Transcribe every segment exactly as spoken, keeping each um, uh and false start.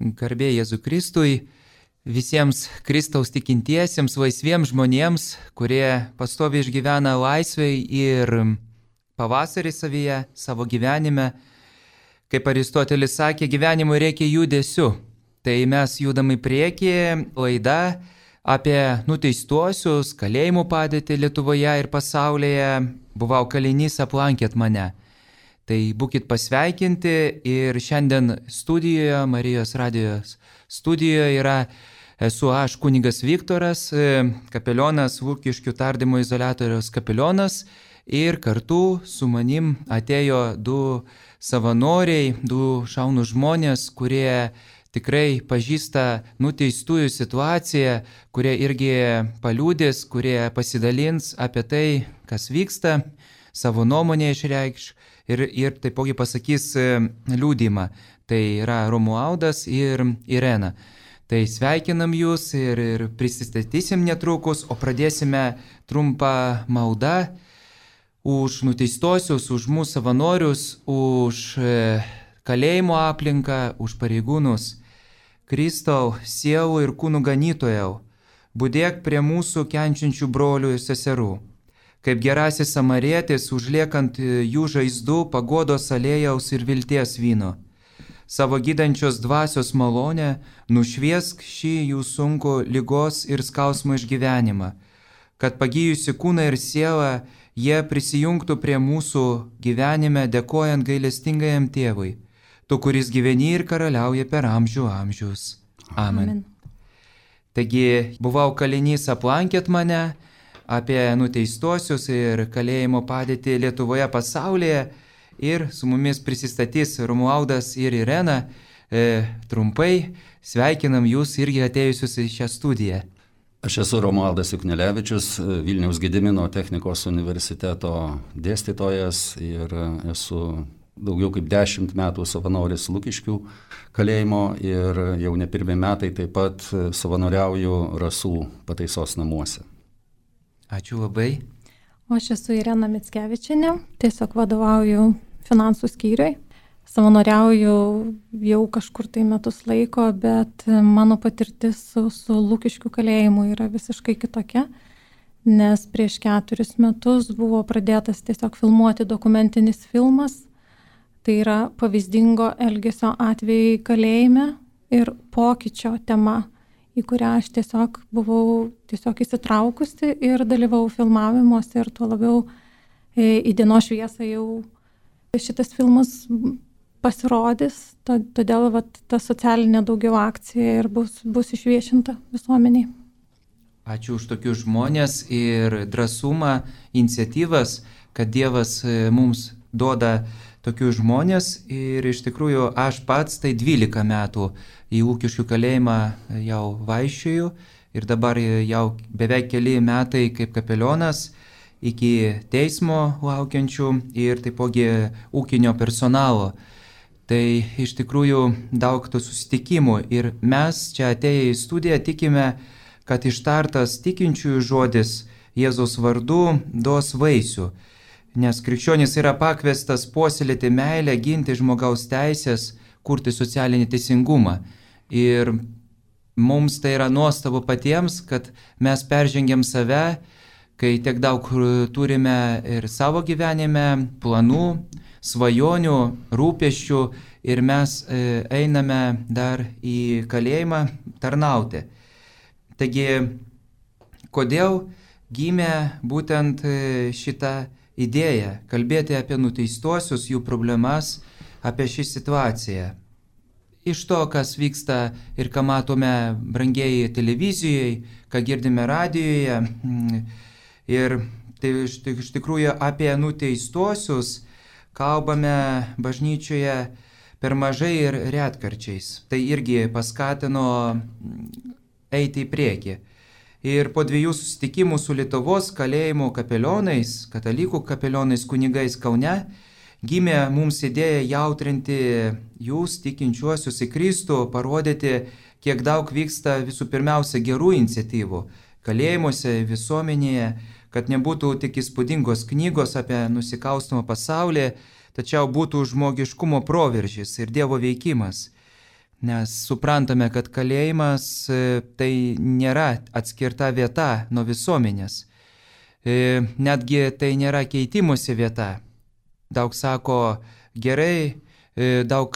Garbė Jėzui Kristui, visiems Kristaus tikintiesiems, laisviems žmonėms, kurie pastoviai išgyvena laisvėj ir pavasarį savyje, savo gyvenime. Kaip Aristotelis sakė, gyvenimui reikia judesių. Tai mes judam į priekį, laida apie nuteistuosius, kalėjimų padėtį Lietuvoje ir pasaulyje. Buvau kalinys, aplankėt mane. Tai būkit pasveikinti ir šiandien studijoje, Marijos radijos studijoje yra, esu aš kunigas Viktoras, kapelionas, Lukiškių tardymo izoliatoriaus kapelionas ir kartu su manim atėjo du savanoriai, du šaunūs žmonės, kurie tikrai pažįsta nuteistųjų situaciją, kurie irgi paliudys, kurie pasidalins apie tai, kas vyksta, savo nuomonę išreikš. Ir, ir taipogi pasakys liudymą. Tai yra Romualdas ir Irena. Tai sveikinam jūs ir, ir prisistatysim netrukus, o pradėsime trumpą maldą už nuteistosius, už mūsų savanorius, už kalėjimo aplinką, už pareigūnus. Kristau, sielų ir kūnų ganytojau, budėk prie mūsų kenčiančių brolių ir seserų. Kaip gerasis samarietis, užliekant jų žaizdų paguodos alėjaus ir vilties vyno. Savo gydančios dvasios malonę nušviesk šį jų sunku ligos ir skausmo išgyvenimą, kad pagyjusi kūną ir sielą jie prisijungtų prie mūsų gyvenime, dėkojant gailestingajam tėvui, tu, kuris gyveni ir karaliauja per amžių amžius. Amen. Amen. Taigi, buvau kalinys, aplankėt mane, apie nuteistuosius ir kalėjimo padėtį Lietuvoje, pasaulyje. Ir su mumis prisistatys Romualdas ir Irena. E, trumpai sveikinam jūs irgi atėjusius į šią studiją. Aš esu Romualdas Juknelevičius, Vilniaus Gedimino technikos universiteto dėstytojas ir esu daugiau kaip dešimt metų savanoris Lukiškių kalėjimo ir jau ne pirmi metai taip pat savanoriauju Rasų pataisos namuose. Ačiū labai. O aš esu Irena Mickevičienė, tiesiog vadovauju finansų skyriui. Savanoriauju jau kažkur tai metus laiko, bet mano patirtis su, su Lukiškių kalėjimu yra visiškai kitokia, nes prieš keturis metus buvo pradėtas tiesiog filmuoti dokumentinis filmas. Tai yra pavyzdingo elgesio atvejai kalėjime ir pokyčio tema, į kurią aš tiesiog buvau tiesiog įsitraukusi ir dalyvau filmavimuose ir tuo labiau į dienos šviesą jau šitas filmas pasirodys, todėl vat, ta socialinė daugiau akcija ir bus, bus išviešinta visuomeniai. Ačiū už tokius žmonės ir drąsumą, iniciatyvas, kad Dievas mums duoda tokius žmonės ir iš tikrųjų aš pats tai dvylika metų į Lukiškių kalėjimą jau vaikščioju ir dabar jau beveik keli metai kaip kapelionas iki teismo laukiančių ir taipogi ūkinio personalo. Tai iš tikrųjų daug tų susitikimų ir mes čia atėję į studiją tikime, kad ištartas tikinčiųjų žodis Jėzaus vardu duos vaisių. Nes krikščionis yra pakviestas puoselėti meilę, ginti žmogaus teisės, kurti socialinį teisingumą. Ir mums tai yra nuostabu patiems, kad mes peržengiam save, kai tiek daug turime ir savo gyvenime planų, svajonių, rūpesčių ir mes einame dar į kalėjimą tarnauti. Taigi, kodėl gimė būtent šitą idėja kalbėti apie nuteistuosius, jų problemas, apie šį situaciją. Iš to, kas vyksta ir ką matome brangieji televizijoje, ką girdime radijoje. Ir tai iš, iš tikrųjų apie nuteistuosius kalbame bažnyčioje per mažai ir retkarčiais. Tai irgi paskatino eiti į priekį. Ir po dviejų susitikimų su Lietuvos kalėjimo kapelionais, katalikų kapelionais, kunigais Kaune, gimė mums idėja jautrinti jūs, tikinčiuosius į Kristų, parodyti, kiek daug vyksta visų pirmiausia gerų iniciatyvų kalėjimuose, visuomenėje, kad nebūtų tik įspūdingos knygos apie nusikalstamą pasaulį, tačiau būtų žmogiškumo proveržis ir Dievo veikimas. nes suprantame, kad kalėjimas tai nėra atskirta vieta nuo visuomenės. Netgi tai nėra keitimusi vieta. Daug sako gerai, daug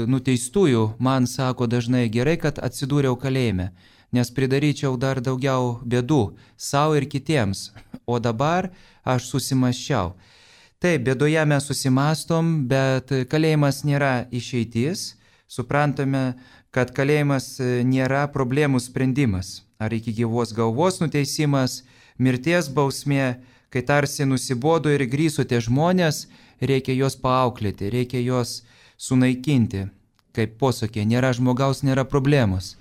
nuteistųjų man sako dažnai gerai, kad atsidūriau kalėjime, nes pridaryčiau dar daugiau bėdų savo ir kitiems, o dabar aš susimasčiau. Taip, bėdoje mes susimastom, bet kalėjimas nėra išeitis. Suprantame, kad kalėjimas nėra problemų sprendimas, ar iki gyvos galvos nuteisimas, mirties bausmė, kai tarsi nusibodo ir grįžo tie žmonės, reikia juos paauklėti, reikia juos sunaikinti. Kaip posakė, nėra žmogaus, nėra problemos.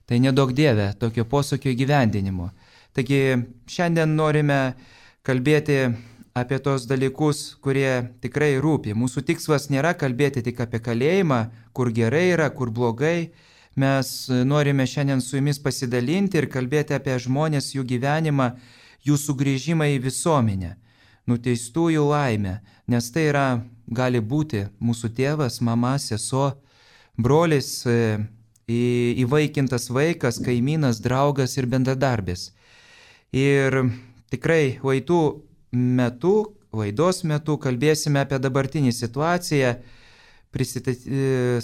Tai nedaug dieve tokio posakio įgyvendinimo. Taigi šiandien norime kalbėti apie tos dalykus, kurie tikrai rūpi. Mūsų tikslas nėra kalbėti tik apie kalėjimą, kur gerai yra, kur blogai. Mes norime šiandien su jumis pasidalinti ir kalbėti apie žmonės, jų gyvenimą, jų sugrįžimą į visuomenę, nuteistųjų laimę, nes tai yra, gali būti mūsų tėvas, mama, sesuo, brolis, įvaikintas vaikas, kaimynas, draugas ir bendradarbis. Ir tikrai laidų metu, laidos metu kalbėsime apie dabartinį situaciją,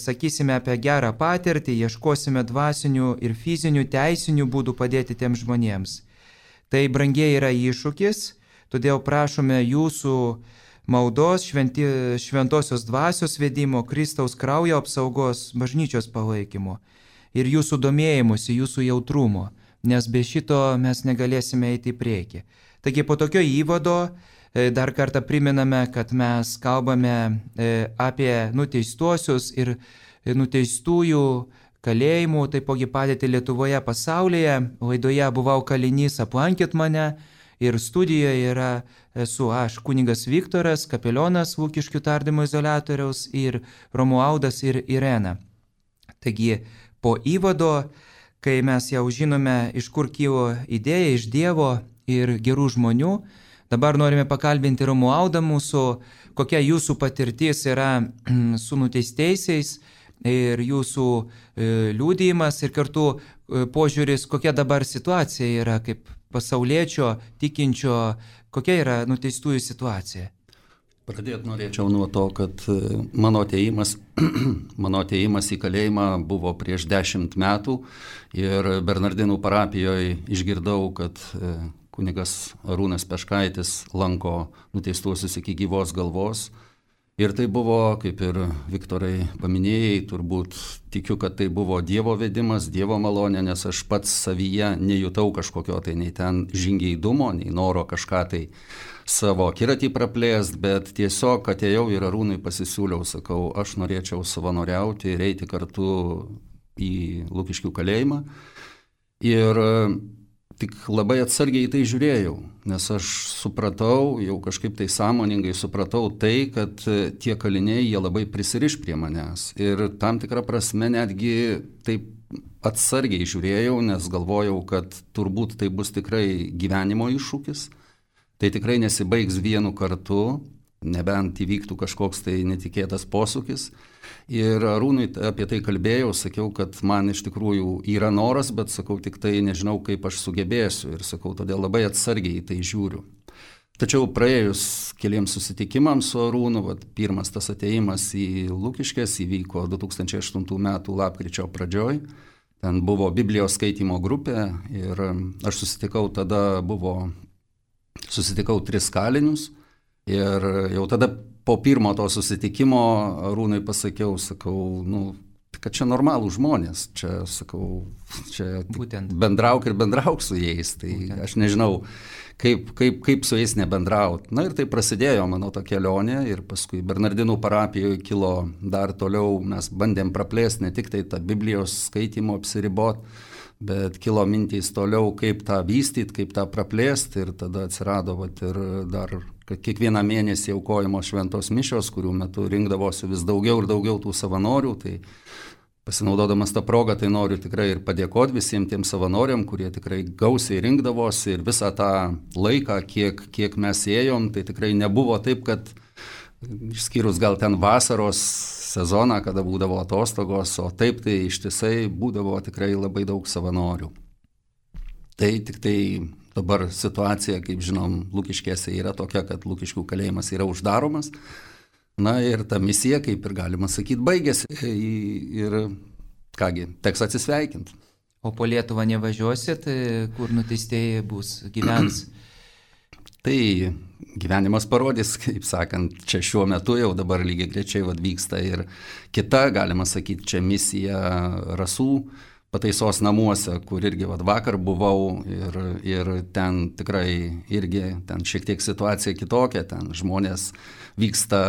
sakysime apie gerą patirtį, ieškosime dvasinių ir fizinių teisinių būdų padėti tiems žmonėms. Tai brangiai yra iššūkis, todėl prašome jūsų maldos, šventi, šventosios dvasios vedimo, Kristaus kraujo apsaugos, bažnyčios palaikymo ir jūsų domėjimusi, jūsų jautrumo, nes be šito mes negalėsime eiti į priekį. Taigi po tokio įvado dar kartą priminame, kad mes kalbame apie nuteistuosius ir nuteistųjų kalėjimų, taipogi padėtį Lietuvoje, pasaulyje. Laidoje buvau kalinys, aplankėt mane ir studijoje yra esu aš, kunigas Viktoras, kapelionas Lukiškių tardymo izoliatoriaus ir Romualdas ir Irena. Taigi po įvado, kai mes jau žinome, iš kur kilo idėja, iš Dievo ir gerų žmonių, dabar norime pakalbinti Romualdą mūsų, kokia jūsų patirtis yra su nuteistaisiais ir jūsų liudijimas ir kartu požiūris, kokia dabar situacija yra kaip pasauliečio, tikinčio, kokia yra nuteistųjų situacija. Pradėti norėčiau nuo to, kad mano atėjimas, mano atėjimas į kalėjimą buvo prieš dešimt metų ir Bernardinų parapijoje išgirdau, kad kunigas Arūnas Peškaitis lanko nuteistuosius iki gyvos galvos. Ir tai buvo, kaip ir Viktorai paminėjai, turbūt tikiu, kad tai buvo Dievo vedimas, Dievo malonė, nes aš pats savyje nejutau kažkokio tai nei ten žingeidumo, nei noro kažką tai savo akiratį praplėst, bet tiesiog atėjau ir Arūnui pasisiūliau, sakau, aš norėčiau savanoriauti ir eiti kartu į Lukiškių kalėjimą. Ir tik labai atsargiai į tai žiūrėjau, nes aš supratau, jau kažkaip tai sąmoningai supratau tai, kad tie kaliniai, jie labai prisiriš prie manęs. Ir tam tikrą prasme netgi taip atsargiai žiūrėjau, nes galvojau, kad turbūt tai bus tikrai gyvenimo iššūkis. Tai tikrai nesibaigs vienu kartu, nebent įvyktų kažkoks tai netikėtas posūkis. Ir Arūnui apie tai kalbėjau, sakiau, kad man iš tikrųjų yra noras, bet sakau, tik tai nežinau, kaip aš sugebėsiu. Ir sakau, todėl labai atsargiai į tai žiūriu. Tačiau praėjus keliems susitikimams su Arūnu, vat, pirmas tas atėjimas į Lukiškes įvyko du tūkstančiai aštuntų metų lapkričio pradžioj. Ten buvo Biblijos skaitymo grupė ir aš susitikau tada, buvo, susitikau tris kalinius. Ir jau tada po pirmo to susitikimo Arūnui pasakiau, sakau, nu, kad čia normalų žmonės, čia, sakau, čia bendrauk ir bendrauk su jais, tai Būtent. Aš nežinau, kaip, kaip, kaip su jais nebendraut. Na ir tai prasidėjo mano ta kelionė ir paskui Bernardinų parapijoje kilo dar toliau, mes bandėm praplėsti ne tik tai tą Biblijos skaitymo apsiribot, bet kilo mintys toliau, kaip tą vystyti, kaip tą praplėsti ir tada atsirado vat, ir dar kiekvieną mėnesį aukojamos šventos mišios, kurių metu rinkdavosi vis daugiau ir daugiau tų savanorių, tai pasinaudodamas tą progą, tai noriu tikrai ir padėkoti visiems tiem savanoriam, kurie tikrai gausiai rinkdavosi ir visą tą laiką, kiek, kiek mes ėjom, tai tikrai nebuvo taip, kad išskyrus gal ten vasaros sezoną, kada būdavo atostogos, o taip tai ištisai būdavo tikrai labai daug savanorių. Tai tik tai dabar situacija, kaip žinom, Lukiškėse yra tokia, kad Lukiškių kalėjimas yra uždaromas. Na ir ta misija, kaip ir galima sakyti, baigėsi. Ir kągi, teks atsisveikinti. O po Lietuvą nevažiuosit, kur nuteistieji bus, gyvens? Tai gyvenimas parodys, kaip sakant, čia šiuo metu jau dabar lygiai grečiai vyksta ir kita, galima sakyti, čia misija Rasų pataisos namuose, kur irgi vat, vakar buvau ir, ir ten tikrai irgi ten šiek tiek situacija kitokia, ten žmonės vyksta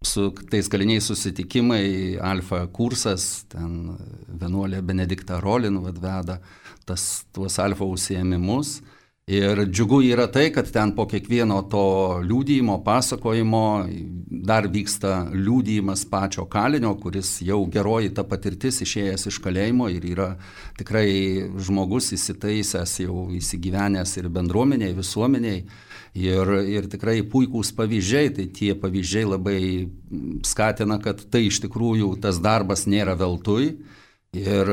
su tais kaliniais susitikimai, alfa kursas, ten vienuolė Benedikta Rolin vat, veda tas, tuos alfa užsiėmimus. Ir džiugu yra tai, kad ten po kiekvieno to liudijimo, pasakojimo dar vyksta liudijimas pačio kalinio, kuris jau geroji ta patirtis išėjęs iš kalėjimo ir yra tikrai žmogus įsitaisęs, jau įsigyvenęs ir bendruomeniai, visuomeniai. Ir, ir tikrai puikūs pavyzdžiai, tai tie pavyzdžiai labai skatina, kad tai iš tikrųjų tas darbas nėra veltui. Ir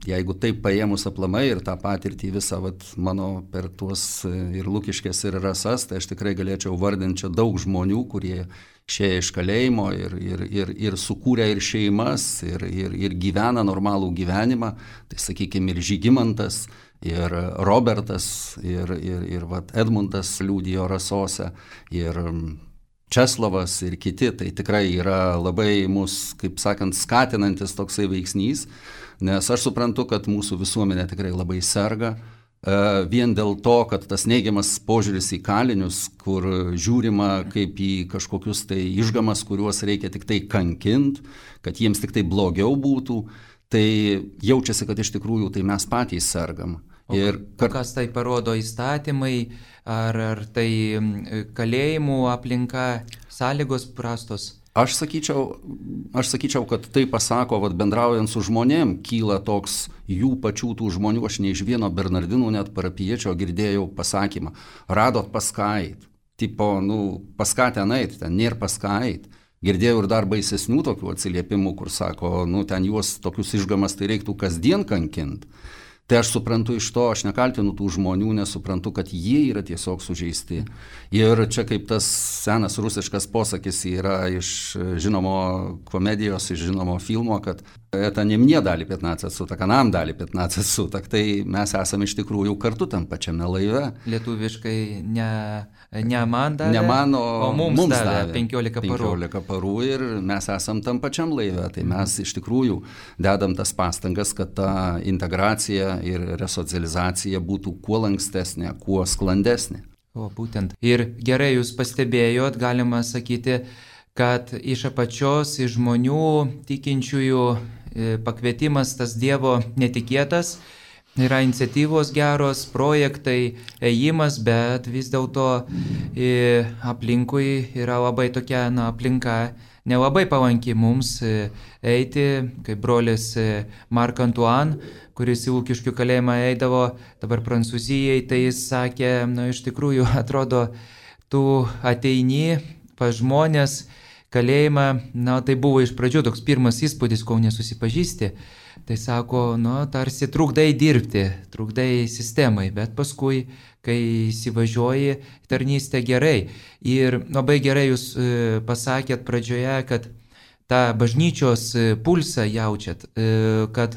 jeigu taip paėmus aplamai ir tą patirtį visą vat, mano per tuos ir Lukiškės ir Rasas, tai aš tikrai galėčiau vardinti čia daug žmonių, kurie išėjo iš kalėjimo ir, ir, ir, ir sukūrė ir šeimas, ir, ir, ir gyvena normalų gyvenimą. Tai sakykime ir Žygimantas, ir Robertas, ir, ir, ir vat, Edmundas liudijo Rasose, ir Česlovas ir kiti. Tai tikrai yra labai mus, kaip sakant, skatinantis toksai veiksnys. Nes aš suprantu, kad mūsų visuomenė tikrai labai serga, vien dėl to, kad tas neigiamas požiūris į kalinius, kur žiūrima kaip į kažkokius tai išgamas, kuriuos reikia tik tai kankinti, kad jiems tik tai blogiau būtų, tai jaučiasi, kad iš tikrųjų tai mes patys sergam. Ir kar... kas tai parodo įstatymai, ar, ar tai kalėjimų aplinka, sąlygos prastos? Aš sakyčiau, aš sakyčiau, kad tai pasako, vat, bendraujant su žmonėm, kyla toks jų pačių tų žmonių, aš ne iš vieno Bernardinų net parapiečio girdėjau pasakymą, radot pas ką eit, tipo, nu, pas ką ten eit, ten nėra pas ką eit. Girdėjau ir dar baisesnių tokių atsiliepimų, kur sako, nu, ten juos tokius išgamas tai reiktų kasdien kankinti. Tai aš suprantu iš to, aš nekaltinu tų žmonių, nes suprantu, kad jie yra tiesiog sužeisti. Ir čia kaip tas senas rusiškas posakis yra iš žinomo komedijos, iš žinomo filmo, kad это не мне дали пятнадцать суток, а нам дали пятнадцать суток. Tai mes esame iš tikrųjų kartu tam pačiame laive. Lietuviškai ne, ne man davė, ne man, o, o mums, mums davė davė penkiolika parų. penkiolika parų ir mes esam tam pačiam laive. Tai mes iš tikrųjų dedam tas pastangas, kad ta integracija ir resocializacija būtų kuo lankstesnė, kuo sklandesnė. O būtent. Ir gerai jūs pastebėjot, galima sakyti, kad iš apačios, iš žmonių tikinčiųjų pakvietimas tas Dievo netikėtas, yra iniciatyvos geros, projektai, ėjimas, bet vis dėlto aplinkui yra labai tokia, na, aplinka nelabai palanki mums eiti, kaip brolis Marc Antoine, kuris į Lukiškių kalėjimą eidavo, dabar Prancūzijai, tai jis sakė, na, iš tikrųjų atrodo, tu ateini pas žmonės, kalėjimą, na, tai buvo iš pradžių toks pirmas įspūdis, kol nesusipažįsti, tai sako, nu, tarsi trukdai dirbti, trukdai sistemai, bet paskui, kai įsivažiuoji, tarnystė gerai. Ir labai gerai jūs pasakėt pradžioje, kad tą bažnyčios pulsą jaučiat, kad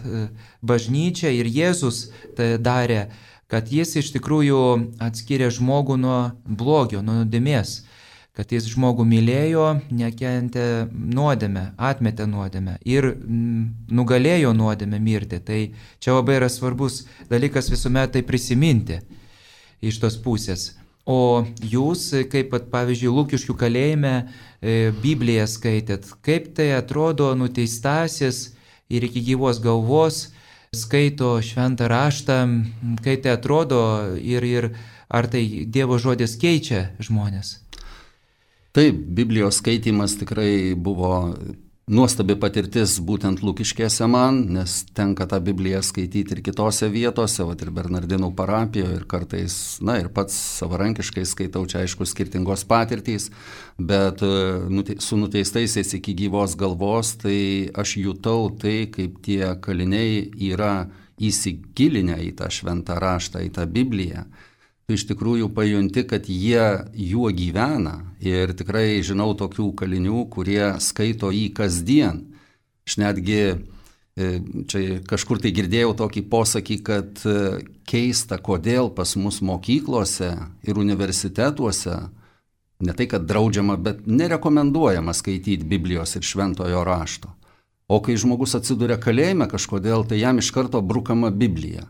bažnyčia ir Jėzus tai darė, kad jis iš tikrųjų atskiria žmogų nuo blogio, nuo nuodėmės. Kad jis žmogų mylėjo, nekentė nuodėmę, atmetė nuodėmę ir mm, nugalėjo nuodėmę mirti. Tai čia labai yra svarbus dalykas visuomet tai prisiminti iš tos pusės. O jūs, kaip pavyzdžiui, Lukiškių kalėjime e, Bibliją skaitėt, kaip tai atrodo nuteistasis ir iki gyvos galvos skaito šventą raštą, kaip tai atrodo ir, ir ar tai Dievo žodis keičia žmonės? Taip, Biblijos skaitimas tikrai buvo nuostabi patirtis būtent Lukiškėse man, nes tenka tą Bibliją skaityti ir kitose vietose, vat ir Bernardinų parapijoje, ir kartais, na ir pats savarankiškai skaitau, čia aišku skirtingos patirtys, bet su nuteistaisiais iki gyvos galvos, tai aš jutau tai, kaip tie kaliniai yra įsigilinę į tą šventą raštą, į tą Bibliją. Tu iš tikrųjų pajunti, kad jie juo gyvena ir tikrai žinau tokių kalinių, kurie skaito jį kasdien. Aš netgi čia kažkur tai girdėjau tokį posakį, kad keista, kodėl pas mus mokyklose ir universitetuose, ne tai kad draudžiama, bet nerekomenduojama skaityti Biblijos ir šventojo rašto. O kai žmogus atsiduria kalėjime kažkodėl, tai jam iš karto brukama Biblija.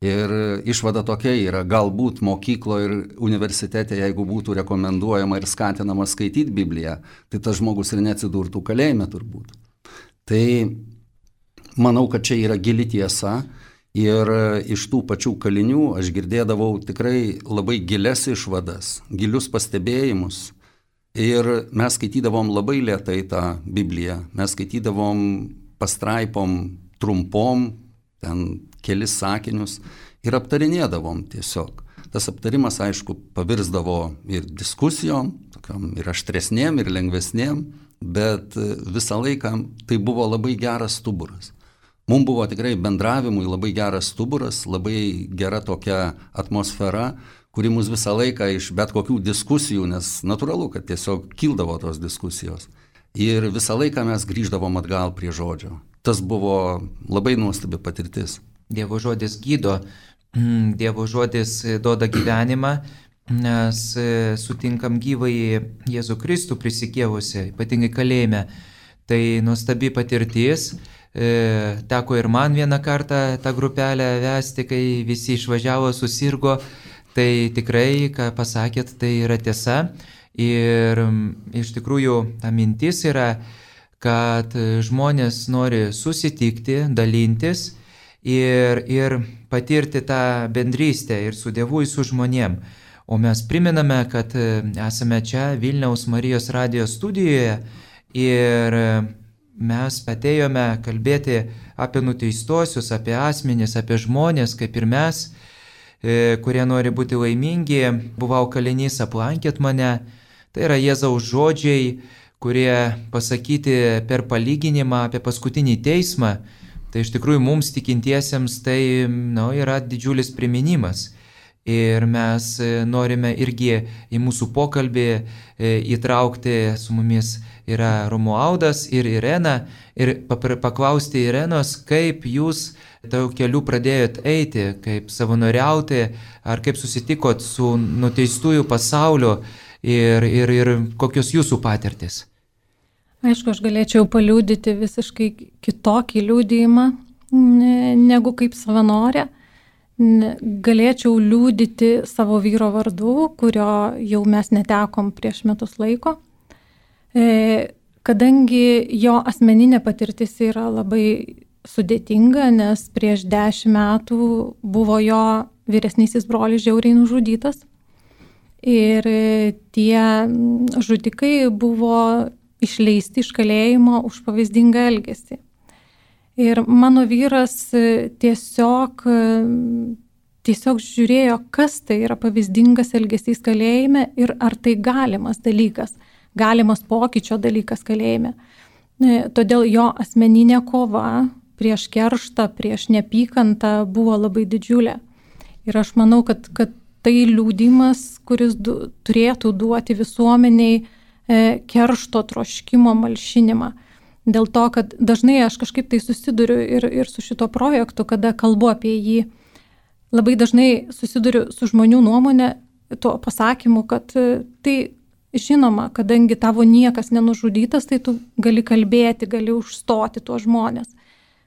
Ir išvada tokia yra, galbūt mokyklo ir universitete, jeigu būtų rekomenduojama ir skatinama skaityti Bibliją, tai tas žmogus ir neatsidurtų kalėjime turbūt. Tai manau, kad čia yra gili tiesa ir iš tų pačių kalinių aš girdėdavau tikrai labai gilias išvadas, gilius pastebėjimus. Ir mes skaitydavom labai lėtai tą Bibliją, mes skaitydavom pastraipom trumpom, ten kelis sakinius ir aptarinėdavom tiesiog. Tas aptarimas, aišku, pavirsdavo ir diskusijom, tokiom ir aštresnėm, ir lengvesnėm, bet visą laiką tai buvo labai geras stuburas. Mums buvo tikrai bendravimui labai geras stuburas, labai gera tokia atmosfera, kuri mus visą laiką iš bet kokių diskusijų, nes natūralu, kad tiesiog kildavo tos diskusijos. Ir visą laiką mes grįždavom atgal prie žodžio. Tas buvo labai nuostabi patirtis. Dievo žodis gydo, Dievo žodis duoda gyvenimą, nes sutinkam gyvąjį Jėzų Kristų prisikėlusi, ypatingai kalėjime. Tai nuostabi patirtis. Teko ir man vieną kartą tą grupelę vesti, kai visi išvažiavo, susirgo. Tai tikrai, ką pasakėt, tai yra tiesa. Ir iš tikrųjų ta mintis yra, kad žmonės nori susitikti, dalintis ir, ir patirti tą bendrystę ir su Dievu, ir su žmonėm. O mes priminame, kad esame čia Vilniaus Marijos radijos studijoje ir mes atėjome kalbėti apie nuteistuosius, apie asmenis, apie žmonės, kaip ir mes, kurie nori būti laimingi. Buvau kalinys, aplankėt mane. Tai yra Jėzaus žodžiai, kurie pasakyti per palyginimą apie paskutinį teismą. Tai iš tikrųjų mums tikintiesiems tai nu, yra didžiulis priminimas. Ir mes norime irgi į mūsų pokalbį įtraukti, su mumis yra Romualdas ir Irena, ir paklausti Irenos, kaip jūs tau keliu pradėjot eiti, kaip savanoriauti, ar kaip susitikot su nuteistųjų pasauliu ir, ir, ir kokios jūsų patirtis. Aišku, aš galėčiau paliudyti visiškai kitokį liudijimą negu kaip savanorė. Galėčiau liudyti savo vyro vardu, kurio jau mes netekom prieš metus laiko, kadangi jo asmeninė patirtis yra labai sudėtinga, nes prieš dešimt metų buvo jo vyresnysis brolis žiauriai nužudytas ir tie žudikai buvo išleisti iš kalėjimo už pavyzdingą elgesį. Ir mano vyras tiesiog, tiesiog žiūrėjo, kas tai yra pavyzdingas elgesys kalėjime ir ar tai galimas dalykas, galimas pokyčio dalykas kalėjime. Todėl jo asmeninė kova prieš kerštą, prieš neapykantą buvo labai didžiulė. Ir aš manau, kad, kad tai liudimas, kuris du, turėtų duoti visuomeniai e, keršto troškimo malšinimą. Dėl to, kad dažnai aš kažkaip tai susiduriu ir, ir su šito projektu, kada kalbu apie jį, labai dažnai susiduriu su žmonių nuomonė, tuo pasakymu, kad tai žinoma, kadangi tavo niekas nenužudytas, tai tu gali kalbėti, gali užstoti tuos žmonės.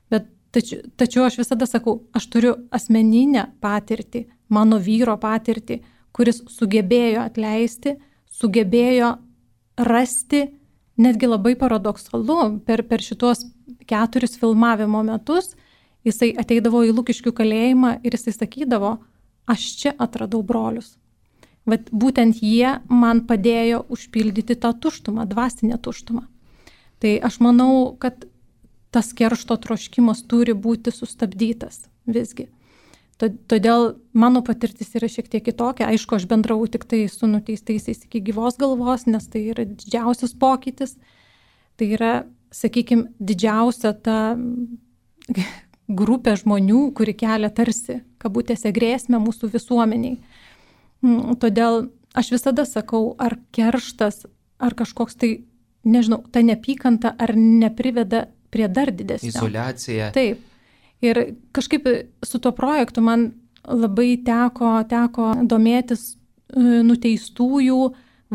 Bet tačiau, tačiau aš visada sakau, aš turiu asmeninę patirtį, mano vyro patirtį, kuris sugebėjo atleisti, sugebėjo rasti, netgi labai paradoksalu, per, per šitos keturis filmavimo metus jisai ateidavo į Lukiškių kalėjimą ir jisai sakydavo, aš čia atradau brolius. Vat būtent jie man padėjo užpildyti tą tuštumą, dvasinę tuštumą. Tai aš manau, kad tas keršto troškimas turi būti sustabdytas visgi. Todėl mano patirtis yra šiek tiek kitokia. Aišku, aš bendravau tik tai su nuteistaisiais iki gyvos galvos, nes tai yra didžiausias pokytis. Tai yra, sakykime, didžiausia ta grupė žmonių, kuri kelia tarsi, kabutėse, grėsmę mūsų visuomeniai. Todėl aš visada sakau, ar kerštas, ar kažkoks tai, nežinau, ta neapykanta, ar nepriveda prie dar didesnio. Izoliacija. Taip. Ir kažkaip su tuo projektu man labai teko, teko domėtis nuteistųjų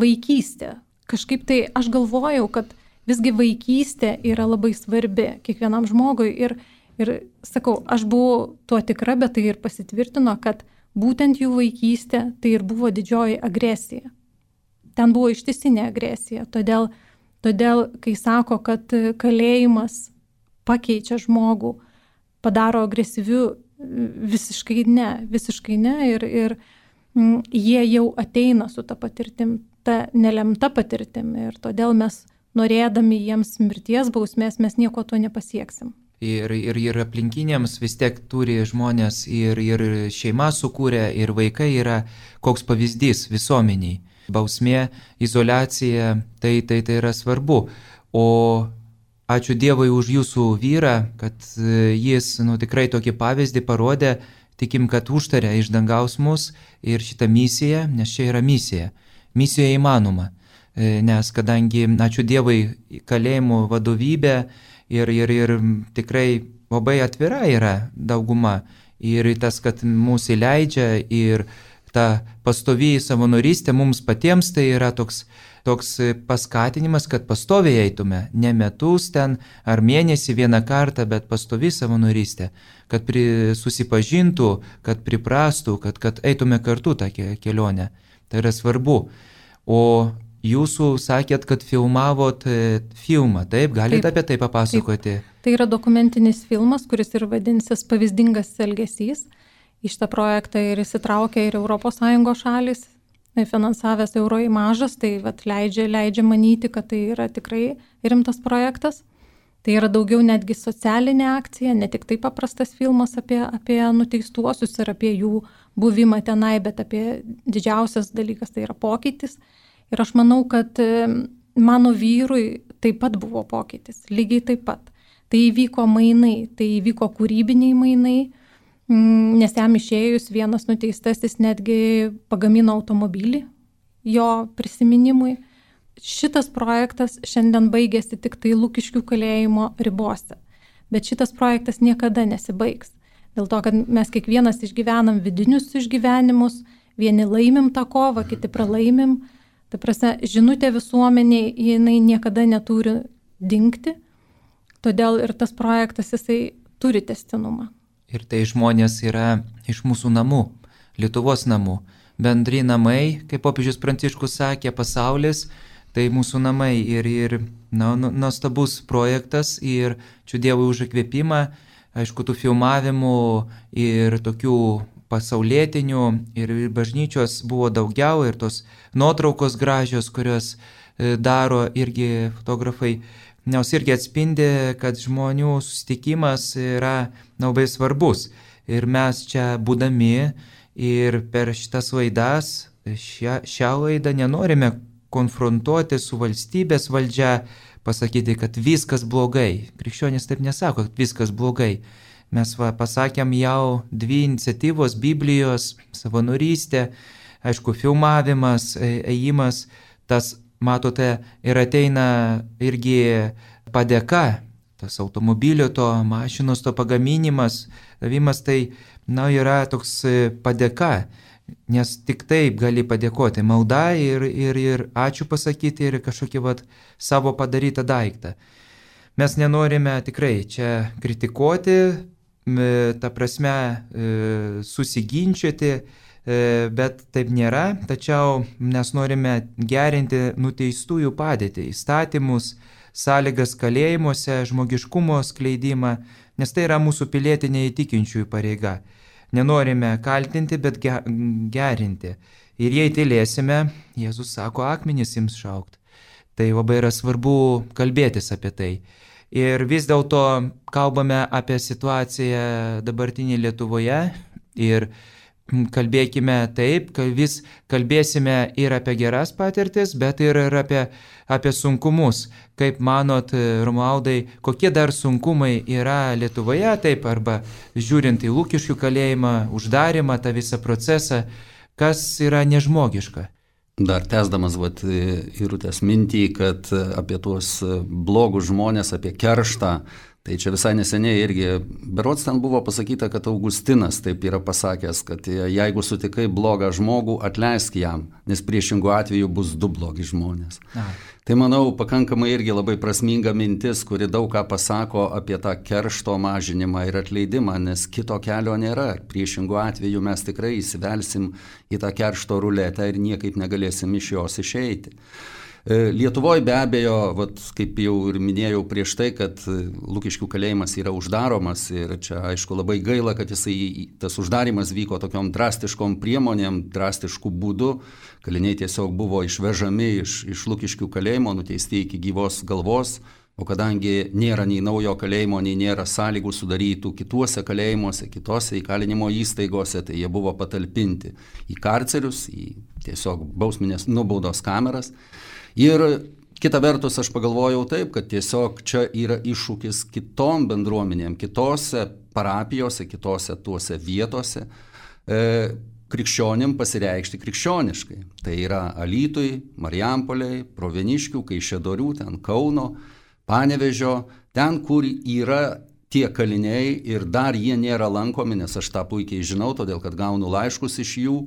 vaikystė. Kažkaip tai aš galvojau, kad visgi vaikystė yra labai svarbi kiekvienam žmogui. Ir, ir sakau, aš buvau tuo tikra, bet tai ir pasitvirtino, kad būtent jų vaikystė tai ir buvo didžioji agresija. Ten buvo ištisinė agresija. Todėl, todėl kai sako, kad kalėjimas pakeičia žmogų, padaro agresyviu, visiškai ne, visiškai ne. Ir, ir m, jie jau ateina su ta patirtim, ta nelemta patirtim. Ir todėl mes, norėdami jiems mirties bausmės, mes nieko to nepasieksim. Ir, ir, ir aplinkiniams vis tiek turi žmonės ir, ir šeima sukūrė, ir vaikai yra koks pavyzdys visuomeniai. Bausmė, izoliacija, tai, tai, tai yra svarbu. O ačiū Dievui už jūsų vyrą, kad jis nu, tikrai tokį pavyzdį parodė, tikim, kad užtarė iš dangaus mus ir šitą misiją, nes čia yra misija. Misija įmanoma, nes kadangi, ačiū Dievui, kalėjimų vadovybė ir, ir, ir tikrai labai atvira yra dauguma. Ir tas, kad mūsų įleidžia ir ta pastovi savanorystė mums patiems, tai yra toks toks paskatinimas, kad pastoviai eitume, ne metus ten ar mėnesį vieną kartą, bet pastovi savanorystė, kad pri, susipažintų, kad priprastų, kad, kad eitume kartu tą kelionę. Tai yra svarbu. O jūsų sakėt, kad filmavot filmą, taip? Galite taip, apie tai papasakoti? Taip. Tai yra dokumentinis filmas, kuris ir vadinsis Pavyzdingas elgesys. Į šitą projektą ir įsitraukia ir Europos Sąjungos šalis, finansavęs Euroimažas, tai vat, leidžia, leidžia manyti, kad tai yra tikrai rimtas projektas. Tai yra daugiau netgi socialinė akcija, ne tik tai paprastas filmas apie, apie nuteistuosius ir apie jų buvimą tenai, bet apie didžiausias dalykas tai yra pokytis. Ir aš manau, kad mano vyrui taip pat buvo pokytis, lygiai taip pat. Tai įvyko mainai, tai įvyko kūrybiniai mainai, nes jam išėjus vienas nuteistasis netgi pagamino automobilį jo prisiminimui. Šitas projektas šiandien baigėsi tik tai Lukiškių kalėjimo ribose, bet šitas projektas niekada nesibaigs. Dėl to, kad mes kiekvienas išgyvenam vidinius išgyvenimus, vieni laimim tą kovą, kiti pralaimim. Ta prasme, žinutė visuomeniai, jinai niekada neturi dingti, todėl ir tas projektas jisai turi tęstinumą. Ir tai žmonės yra iš mūsų namų, Lietuvos namų. Bendri namai, kaip popiežius Pranciškus sakė, pasaulis, tai mūsų namai. Ir, ir na, nuostabus projektas ir ačiū Dievui už įkvėpimą, aišku, tų filmavimų ir tokių pasaulietinių ir bažnyčios buvo daugiau ir tos nuotraukos gražios, kurios daro irgi fotografai. Nes irgi atspindi, kad žmonių susitikimas yra labai svarbus. Ir mes čia būdami ir per šitas laidas, šią, šią laidą nenorime konfrontuoti su valstybės valdžia, pasakyti, kad viskas blogai. Krikščionys taip nesako, kad viskas blogai. Mes va, pasakėm jau dvi iniciatyvos Biblijos, savanorystė, aišku, filmavimas, ėjimas, tas matote, ir ateina irgi padėka, tas automobilio to mašinos to pagaminimas, davimas tai, na, yra toks padėka, nes tik taip gali padėkoti, malda ir, ir, ir ačiū pasakyti ir kažkokį vat, savo padarytą daiktą. Mes nenorime tikrai čia kritikuoti, ta prasme susiginčioti, bet taip nėra, tačiau mes norime gerinti nuteistųjų padėtį, įstatymus, sąlygas kalėjimuose, žmogiškumo skleidimą, nes tai yra mūsų pilietinė įtikinčiųjų pareiga. Nenorime kaltinti, bet gerinti. Ir jei tylėsime, Jėzus sako, akmenys ims šaukt. Tai labai yra svarbu kalbėtis apie tai. Ir vis dėlto kalbame apie situaciją dabartinį Lietuvoje ir kalbėkime taip, kad vis kalbėsime ir apie geras patirtis, bet ir, ir apie, apie sunkumus. Kaip manot, Romualdai, kokie dar sunkumai yra Lietuvoje, taip, arba žiūrint į Lukiškių kalėjimą, uždarimą, tą visą procesą, kas yra nežmogiška? Dar tęsdamas vat, Irutės mintį, kad apie tuos blogus žmonės, apie kerštą, tai čia visai neseniai irgi, berods ten buvo pasakyta, kad Augustinas taip yra pasakęs, kad jeigu sutikai blogą žmogų, atleisk jam, nes priešingų atveju bus du blogi žmonės. A. Tai manau, pakankamai irgi labai prasminga mintis, kuri daug ką pasako apie tą keršto mažinimą ir atleidimą, nes kito kelio nėra. Priešingų atveju mes tikrai įsivelsim į tą keršto ruletę ir niekaip negalėsim iš jos išeiti. Lietuvoje be abejo, vat, kaip jau ir minėjau prieš tai, kad Lukiškių kalėjimas yra uždaromas ir čia aišku labai gaila, kad jisai, tas uždarimas vyko tokiom drastiškom priemonėm, drastiškų būdų. Kaliniai tiesiog buvo išvežami iš, iš Lukiškių kalėjimo, nuteisti iki gyvos galvos, o kadangi nėra nei naujo kalėjimo, nei nėra sąlygų sudarytų kituose kalėjimuose, kitose įkalinimo įstaigose, tai jie buvo patalpinti į karcerius, į tiesiog bausminės nubaudos kameras. Ir kita vertus aš pagalvojau taip, kad tiesiog čia yra iššūkis kitom bendruomenėm, kitose parapijose, kitose tuose vietose e, krikščionim pasireikšti krikščioniškai. Tai yra Alytui, Marijampolei, Proveniškių, Kaišiadorių, ten Kauno, Panevėžio, ten, kur yra tie kaliniai ir dar jie nėra lankomi, nes aš tą puikiai žinau, todėl kad gaunu laiškus iš jų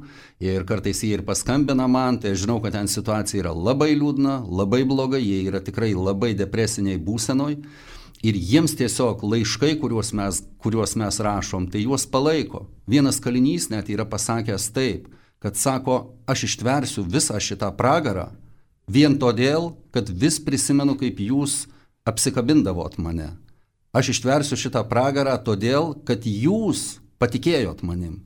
ir kartais jie ir paskambina man, tai aš žinau, kad ten situacija yra labai liūdna, labai bloga, jie yra tikrai labai depresiniai būsenoj ir jiems tiesiog laiškai, kuriuos mes, kuriuos mes rašom, tai juos palaiko. Vienas kalinys net yra pasakęs taip, kad sako, aš ištversiu visą šitą pragarą vien todėl, kad vis prisimenu, kaip jūs apsikabindavot mane. Aš ištversiu šitą pragarą todėl, kad jūs patikėjot manim.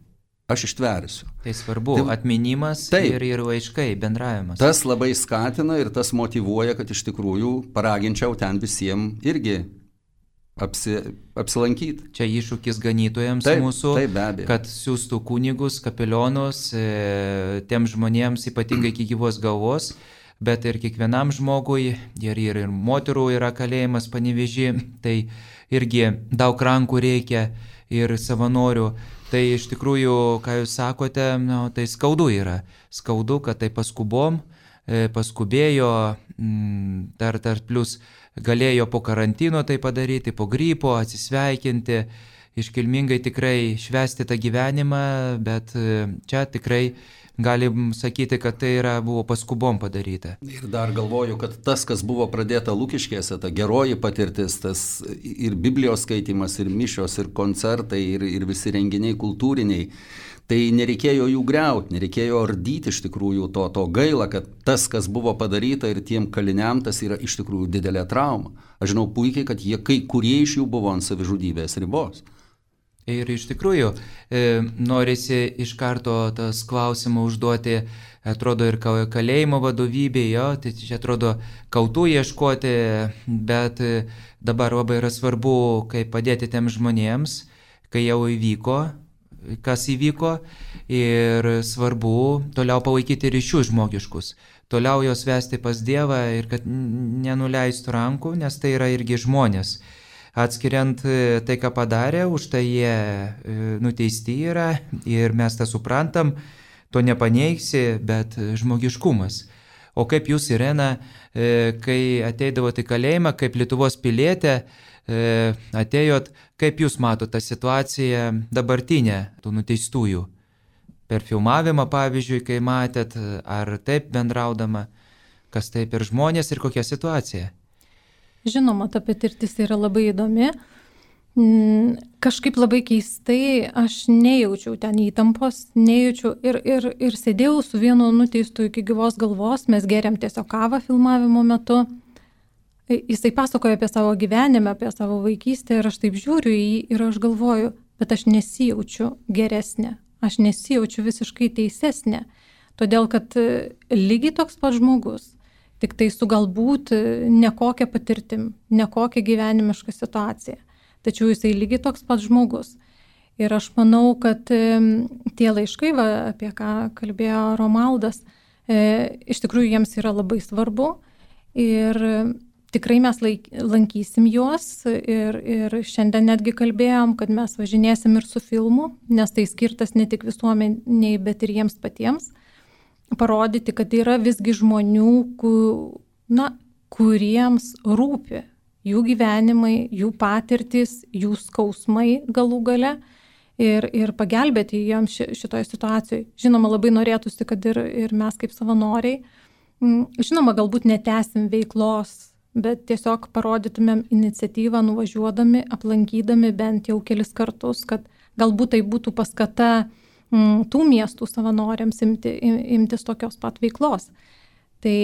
Aš ištversiu. Tai svarbu, tai, atminimas taip, ir, ir laiškai, bendravimas. Tas labai skatina ir tas motyvuoja, kad iš tikrųjų paraginčiau ten visiems irgi apsi, apsilankyti. Čia iššūkis ganytojams taip, mūsų, taip, kad siūstų kunigus, kapelionus, e, tiem žmonėms ypatingai iki gyvos galvos. Bet ir kiekvienam žmogui, ir, ir, ir moterų yra kalėjimas Panevėžy, tai irgi daug rankų reikia ir savanorių. Tai iš tikrųjų, ką jūs sakote, nu, tai skaudu yra. Skaudu, kad tai paskubom, paskubėjo, dar, dar plus galėjo po karantino tai padaryti, po gripo atsisveikinti, iškilmingai tikrai švęsti tą gyvenimą, bet čia tikrai galim sakyti, kad tai yra, buvo paskubom padaryta. Ir dar galvoju, kad tas, kas buvo pradėta Lukiškėse, ta geroji patirtis, tas ir Biblijos skaitimas, ir mišios, ir koncertai, ir, ir visi renginiai kultūriniai, tai nereikėjo jų griauti, nereikėjo ardyti iš tikrųjų to, to gaila, kad tas, kas buvo padaryta ir tiem kaliniam, tas yra iš tikrųjų didelė trauma. Aš žinau puikiai, kad jie, kai kurie iš jų buvo ant savižudybės ribos. Ir iš tikrųjų e, norisi iš karto tas klausimą užduoti, atrodo, ir kalėjimo vadovybė, jo, tai čia atrodo kaltų ieškoti, bet dabar labai yra svarbu, kaip padėti tiem žmonėms, kai jau įvyko, kas įvyko, ir svarbu toliau palaikyti ryšius žmogiškus, toliau jos vesti pas Dievą ir kad nenuleistų rankų, nes tai yra irgi žmonės. Atskiriant tai, ką padarė, už tai jie nuteisti yra ir mes tą suprantam, to nepaneigsi, bet žmogiškumas. O kaip jūs, Irena, kai ateidavote į kalėjimą, kaip Lietuvos pilietė, atėjot, kaip jūs matote tą situaciją dabartinę tų nuteistųjų? Per filmavimą, pavyzdžiui, kai matėt, ar taip bendraudama, kas tai per žmonės ir kokia situacija? Žinoma, ta patirtis yra labai įdomi. Kažkaip labai keistai aš nejaučiau ten įtampos, nejaučiau ir, ir, ir sėdėjau su vienu nuteistu iki gyvos galvos, mes geriam tiesiog kavą filmavimo metu. Jisai pasakoja apie savo gyvenimą, apie savo vaikystę ir aš taip žiūriu į jį ir aš galvoju, bet aš nesijaučiu geresnė, aš nesijaučiu visiškai teisesnė, todėl kad lygiai toks pat žmogus, tik tai su galbūt nekokia patirtim, nekokia gyvenimiška situacija. Tačiau jisai lygiai toks pats žmogus. Ir aš manau, kad tie laiškai, va, apie ką kalbėjo Romaldas, e, iš tikrųjų jiems yra labai svarbu. Ir tikrai mes laik, lankysim juos. Ir, ir šiandien netgi kalbėjom, kad mes važinėsim ir su filmu, nes tai skirtas ne tik visuomeniai, bet ir jiems patiems. Parodyti, kad yra visgi žmonių, ku, na, kuriems rūpi jų gyvenimai, jų patirtis, jų skausmai galų gale. Ir, ir pagelbėti jiems šitoje situacijoje. Žinoma, labai norėtųsi, kad ir, ir mes kaip savanoriai, žinoma, galbūt netęsim veiklos, bet tiesiog parodytumėm iniciatyvą nuvažiuodami, aplankydami bent jau kelis kartus, kad galbūt tai būtų paskata m, tų miestų savanoriams imti, imtis tokios pat veiklos. Tai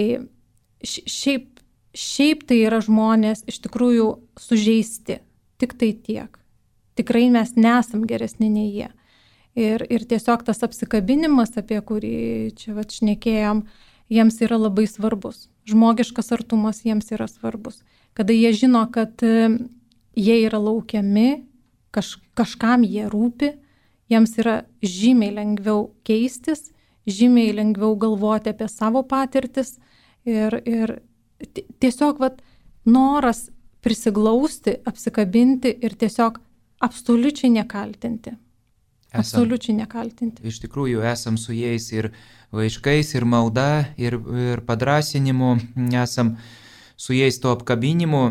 šiaip, šiaip tai yra žmonės iš tikrųjų sužeisti, tik tai tiek. Tikrai mes nesam geresni nei jie. Ir, ir tiesiog tas apsikabinimas, apie kurį čia vat šnekėjom, jiems yra labai svarbus. Žmogiškas artumas jiems yra svarbus. Kada jie žino, kad jie yra laukiami, kaž, kažkam jie rūpi, jiems yra žymiai lengviau keistis, žymiai lengviau galvoti apie savo patirtis. Ir, ir tiesiog vat, noras prisiglausti, apsikabinti ir tiesiog absoliučiai nekaltinti. Esam, absoliučiai nekaltinti. Iš tikrųjų, esam su jais ir laiškais, ir malda, ir, ir padrasinimu, esam su jais to apkabinimu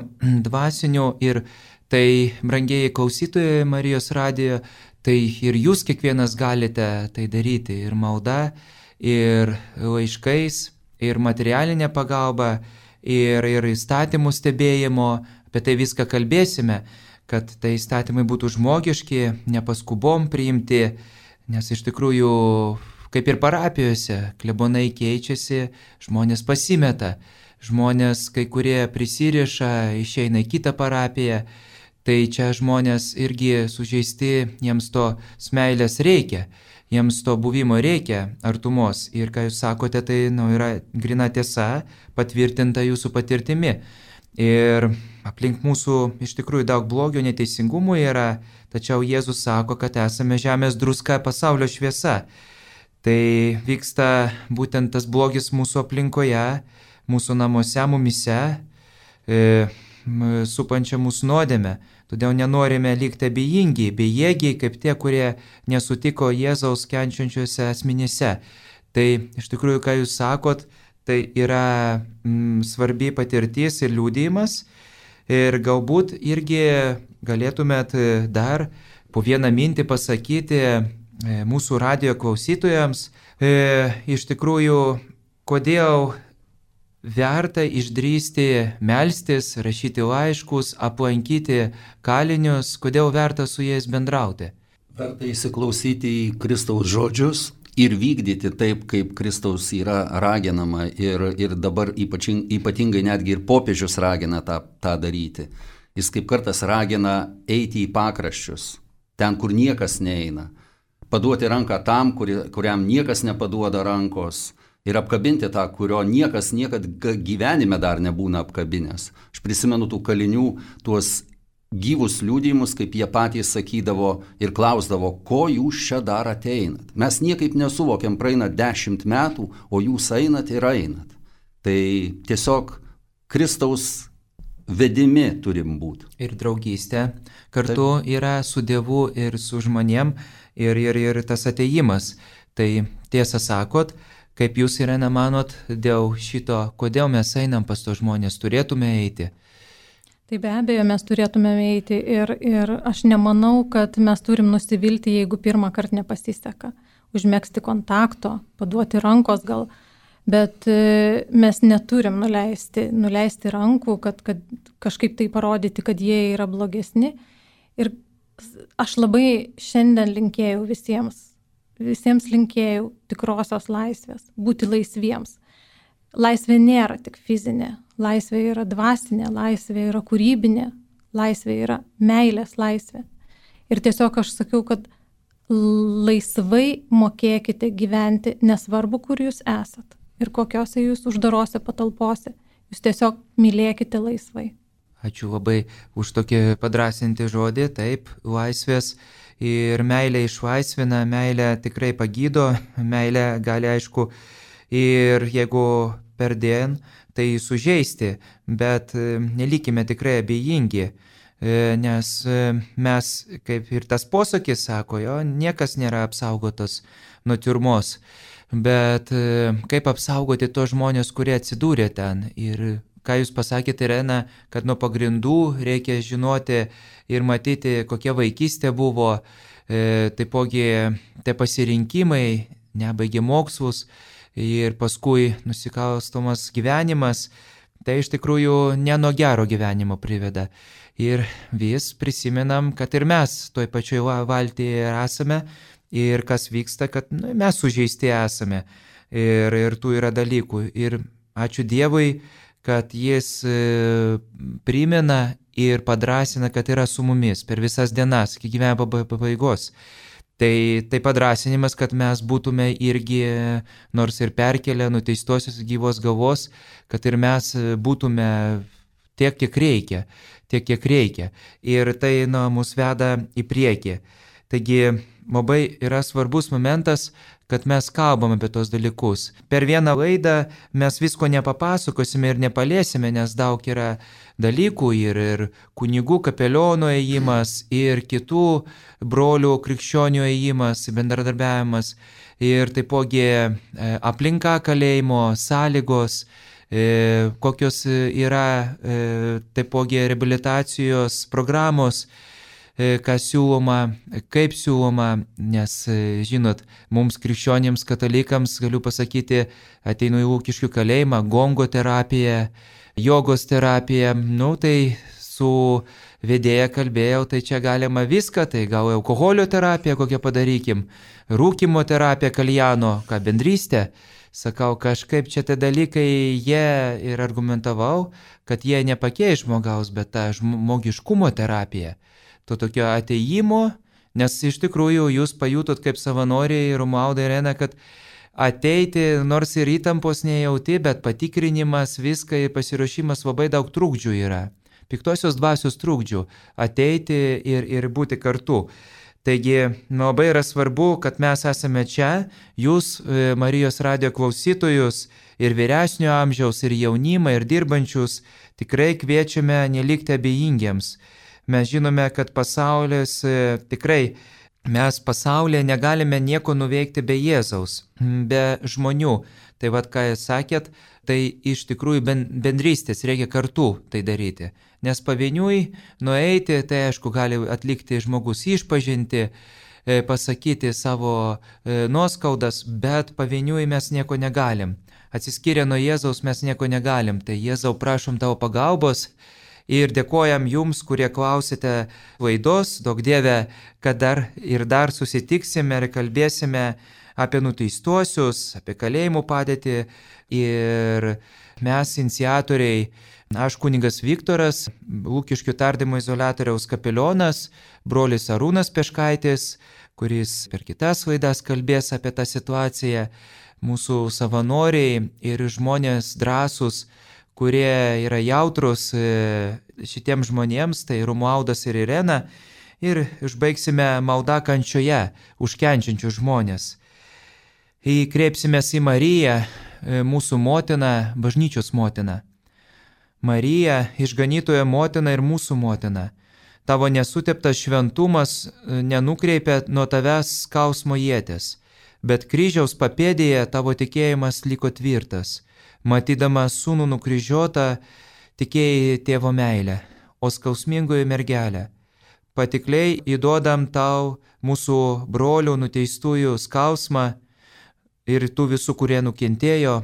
dvasiniu. Ir tai, brangieji klausytojai Marijos radijo, tai ir jūs kiekvienas galite tai daryti. Ir malda, ir laiškais, ir materialinė pagalba, ir, ir įstatymų stebėjimo. Apie tai viską kalbėsime, kad tai įstatymai būtų žmogiški, nepaskubom priimti, nes iš tikrųjų, kaip ir parapijose, klebonai keičiasi, žmonės pasimeta, žmonės kai kurie prisiriša, išeina į kitą parapiją, tai čia žmonės irgi sužeisti, jiems to meilės reikia, jiems to buvimo reikia, artumos. Ir ką jūs sakote, tai nu, yra grina tiesa, patvirtinta jūsų patirtimi. Ir aplink mūsų iš tikrųjų daug blogio, neteisingumų yra, tačiau Jėzus sako, kad esame žemės druska, pasaulio šviesa. Tai vyksta būtent tas blogis mūsų aplinkoje, mūsų namuose, mumise, e, supančia mūsų nuodėmę. Todėl nenorime likti abejingi, bejėgiai, kaip tie, kurie nesutiko Jėzaus kenčiančiuose asmenyse. Tai iš tikrųjų, ką jūs sakot, tai yra mm, svarbi patirtis ir liūdėjimas. Ir galbūt irgi galėtumėt dar po vieną mintį pasakyti e, mūsų radijo klausytojams, e, iš tikrųjų, kodėl verta išdrįsti melstis, rašyti laiškus, aplankyti kalinius, kodėl verta su jais bendrauti. Verta įsiklausyti į Kristaus žodžius ir vykdyti taip, kaip Kristaus yra raginama. Ir, ir dabar ypačing, ypatingai netgi ir popiežius ragina tą, tą daryti. Jis kaip kartas ragina eiti į pakraščius, ten, kur niekas neina. Paduoti ranką tam, kuri, kuriam niekas nepaduoda rankos. Ir apkabinti tą, kurio niekas niekad gyvenime dar nebūna apkabinęs. Aš prisimenu tų kalinių, tuos gyvus liudijimus, kaip jie patys sakydavo ir klausdavo, ko jūs čia dar ateinat. Mes niekaip nesuvokiam, praeina dešimt metų, o jūs einat ir einat. Tai tiesiog Kristaus vedimi turim būti. Ir draugystė kartu Taip. Yra su Dievu ir su žmonėm ir, ir, ir tas ateimas. Tai tiesą sakot, kaip jūs Irena manot dėl šito, kodėl mes einam pas tos žmonės, turėtume eiti? Tai be abejo mes turėtume eiti ir, ir aš nemanau, kad mes turim nusivilti, jeigu pirmą kartą nepasiseka. Užmegzti kontakto, paduoti rankos gal, bet mes neturim nuleisti, nuleisti rankų, kad, kad kažkaip tai parodyti, kad jie yra blogesni. Ir aš labai šiandien linkėjau visiems, visiems linkėjau tikrosios laisvės, būti laisviems. Laisvė nėra tik fizinė, laisvė yra dvasinė, laisvė yra kūrybinė, laisvė yra meilės laisvė. Ir tiesiog aš sakiau, kad laisvai mokėkite gyventi, nesvarbu, kur jūs esat. ir kokiose jūs uždarose patalpose. Jūs tiesiog mylėkite laisvai. Ačiū labai už tokį padrasinti žodį, taip, laisvės ir meilė išlaisvina, meilė tikrai pagydo, meilė gali aišku ir jeigu perdien, tai sužeisti, bet nelikime tikrai abejingi, nes mes, kaip ir tas posakis sako, jo, niekas nėra apsaugotas nuo tiurmos, bet kaip apsaugoti tos žmonės, kurie atsidūrė ten ir ką jūs pasakėte, Irena, kad nuo pagrindų reikia žinoti ir matyti, kokia vaikystė buvo, e, taipogi tie pasirinkimai, nebaigė mokslus ir paskui nusikalstamas gyvenimas, tai iš tikrųjų ne nuo gero gyvenimo priveda. Ir vis prisimenam, kad ir mes toj pačioj valtyje esame ir kas vyksta, kad nu, mes sužeisti esame ir, ir tų yra dalykų. Ir ačiū Dievui, kad jis primena ir padrasina, kad yra su mumis per visas dienas, iki gyvenimo pabaigos. Tai, tai padrasinimas, kad mes būtume irgi, nors ir perkelę nuteistosios gyvos galvos, kad ir mes būtume tiek, kiek reikia, tiek, kiek reikia. Ir tai nu, mus veda į priekį. Taigi labai yra svarbus momentas, kad mes kalbam apie tos dalykus. Per vieną laidą mes visko nepapasakosime ir nepalėsime, nes daug yra dalykų ir, ir kunigų kapelionų ėjimas, ir kitų brolių krikščionių ėjimas, bendradarbiavimas, ir taipogi aplinka kalėjimo, sąlygos, kokios yra taipogi reabilitacijos programos, kas siūloma, kaip siūloma, nes, žinot, mums krikščionims katalikams, galiu pasakyti, ateinu į Lukiškių kalėjimą, gongo terapija, jogos terapija, nu tai su vedėja kalbėjau, tai čia galima viską, tai gal alkoholio terapija kokią padarykim, rūkimo terapija, kaljano, ką bendrystė. Sakau, kažkaip čia tie dalykai, jie ir argumentavau, kad jie nepakeis žmogaus, bet ta žmogiškumo terapija. To tokio ateimo, nes iš tikrųjų jūs pajutot kaip savanoriai Romualda ir Irena, kad ateiti, nors ir įtampos nejauti, bet patikrinimas, viską ir pasiruošimas labai daug trukdžių yra. Piktosios dvasios trukdžių ateiti ir, ir būti kartu. Taigi labai yra svarbu, kad mes esame čia, jūs Marijos radijo klausytojus ir vyresnio amžiaus, ir jaunimą, ir dirbančius, tikrai kviečiame nelikti abejingiems. Mes žinome, kad pasaulis tikrai, mes pasaulyje negalime nieko nuveikti be Jėzaus, be žmonių. Tai vad, ką jūs sakėt, tai iš tikrųjų bendrystės reikia kartu tai daryti. Nes pavieniui nueiti, tai aišku, gali atlikti žmogus išpažinti, pasakyti savo nuoskaudas, bet pavieniui mes nieko negalim. Atsiskyrę nuo Jėzaus mes nieko negalim. Tai Jėzau, prašom tavo pagalbos. Ir dėkojam jums, kurie klausėte laidos, daug Dieve, kad dar ir dar susitiksime ir kalbėsime apie nuteistuosius, apie kalėjimų padėtį. Ir mes, iniciatoriai, aš kunigas Viktoras, Lukiškių tardymo izoliatoriaus kapelionas, brolis Arūnas Peškaitis, kuris per kitas laidas kalbės apie tą situaciją, mūsų savanoriai ir žmonės drąsūs, kurie yra jautrus šitiems žmonėms, tai Romualdas ir Irena, ir užbaigsime maldą kančioje už kenčiančius žmonės. Įkreipsimės į Mariją, mūsų motiną, bažnyčios motiną. Marija, išganytojo motina ir mūsų motina, tavo nesuteptas šventumas nenukreipia nuo tavęs skausmo ieties, bet kryžiaus papėdėje tavo tikėjimas liko tvirtas. Matydama sūnų nukryžiuotą, tikėjai tėvo meilę, o skausmingoji mergelė. Patikliai įduodam tau mūsų brolių nuteistųjų skausmą ir tų visų, kurie nukentėjo,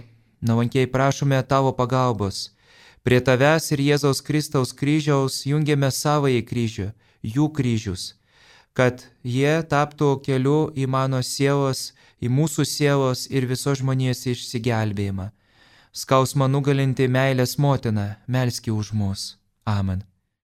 nuolankiai prašome tavo pagalbos. Prie tavęs ir Jėzaus Kristaus kryžiaus jungiame savąjį kryžių, jų kryžius, kad jie taptų keliu į mano sielos, į mūsų sielos ir visos žmonijos išsigelbėjimą. Skausmą nugalinti meilės motina, melski už mus. Amen.